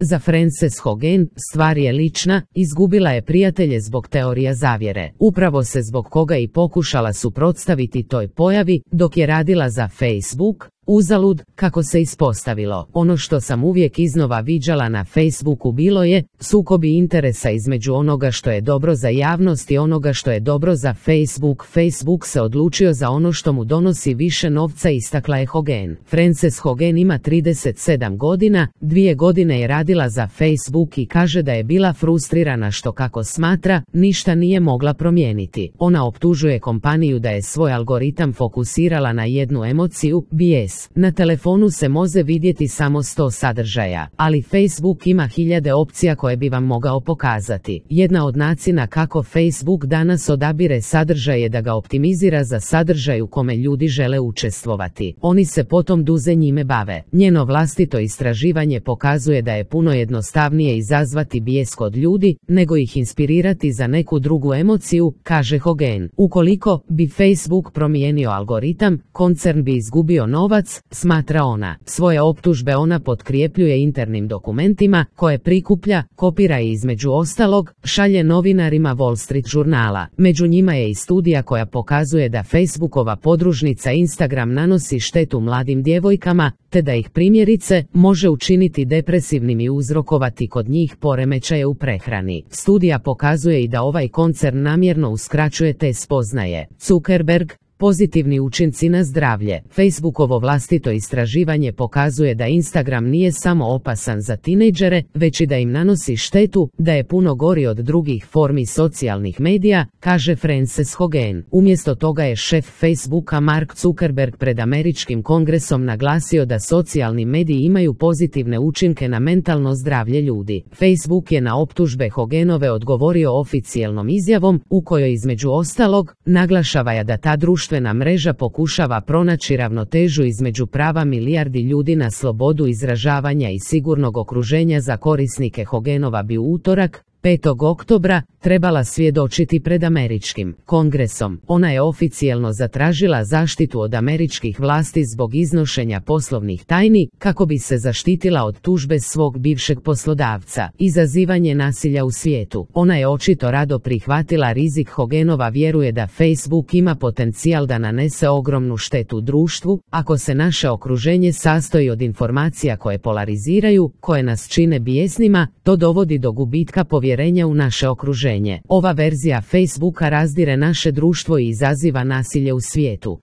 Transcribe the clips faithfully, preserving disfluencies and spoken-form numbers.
Za Frances Hogan stvar je lična, izgubila je prijatelje zbog teorija zavjere. Upravo se zbog koga i pokušala suprotstaviti toj pojavi dok je radila za Facebook. Uzalud, kako se ispostavilo. Ono što sam uvijek iznova viđala na Facebooku bilo je sukobi interesa između onoga što je dobro za javnost i onoga što je dobro za Facebook. Facebook se odlučio za ono što mu donosi više novca, istakla je Hogan. Frances Hogan ima trideset sedam godina, dvije godine je radila za Facebook i kaže da je bila frustrirana što, kako smatra, ništa nije mogla promijeniti. Ona optužuje kompaniju da je svoj algoritam fokusirala na jednu emociju, bijes. Na telefonu se može vidjeti samo sto sadržaja, ali Facebook ima hiljade opcija koje bi vam mogao pokazati. Jedna od načina kako Facebook danas odabire sadržaj je da ga optimizira za sadržaj u kome ljudi žele učestvovati. Oni se potom duže njime bave. Njeno vlastito istraživanje pokazuje da je puno jednostavnije izazvati bijes kod ljudi, nego ih inspirirati za neku drugu emociju, kaže Hogan. Ukoliko bi Facebook promijenio algoritam, koncern bi izgubio novac, smatra ona. Svoje optužbe ona potkrijepljuje internim dokumentima koje prikuplja, kopira i između ostalog šalje novinarima Wall Street žurnala. Među njima je i studija koja pokazuje da Facebookova podružnica Instagram nanosi štetu mladim djevojkama, te da ih primjerice može učiniti depresivnim i uzrokovati kod njih poremećaje u prehrani. Studija pokazuje i da ovaj koncern namjerno uskraćuje te spoznaje. Zuckerberg, pozitivni učinci na zdravlje. Facebookovo vlastito istraživanje pokazuje da Instagram nije samo opasan za tinejdžere, već i da im nanosi štetu, da je puno gori od drugih formi socijalnih medija, kaže Frances Hogan. Umjesto toga je šef Facebooka Mark Zuckerberg pred američkim kongresom naglasio da socijalni mediji imaju pozitivne učinke na mentalno zdravlje ljudi. Facebook je na optužbe Hoganove odgovorio oficijelnom izjavom, u kojoj između ostalog naglašava da ta društva društvena mreža pokušava pronaći ravnotežu između prava milijardi ljudi na slobodu izražavanja i sigurnog okruženja za korisnike. Hoganova bi u utorak, petog oktobra, trebala svjedočiti pred američkim kongresom. Ona je oficijelno zatražila zaštitu od američkih vlasti zbog iznošenja poslovnih tajni, kako bi se zaštitila od tužbe svog bivšeg poslodavca. Izazivanje nasilja u svijetu. Ona je očito rado prihvatila rizik. Hoganova vjeruje da Facebook ima potencijal da nanese ogromnu štetu društvu, ako se naše okruženje sastoji od informacija koje polariziraju, koje nas čine bijesnima, to dovodi do gubitka povjerenja u naše okruženje. Ova verzija Facebooka razdire naše društvo i izaziva nasilje u svijetu.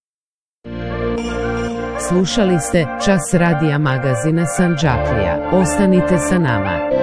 Slušali ste Čas radija magazina Sandžaklija. Ostanite sa nama.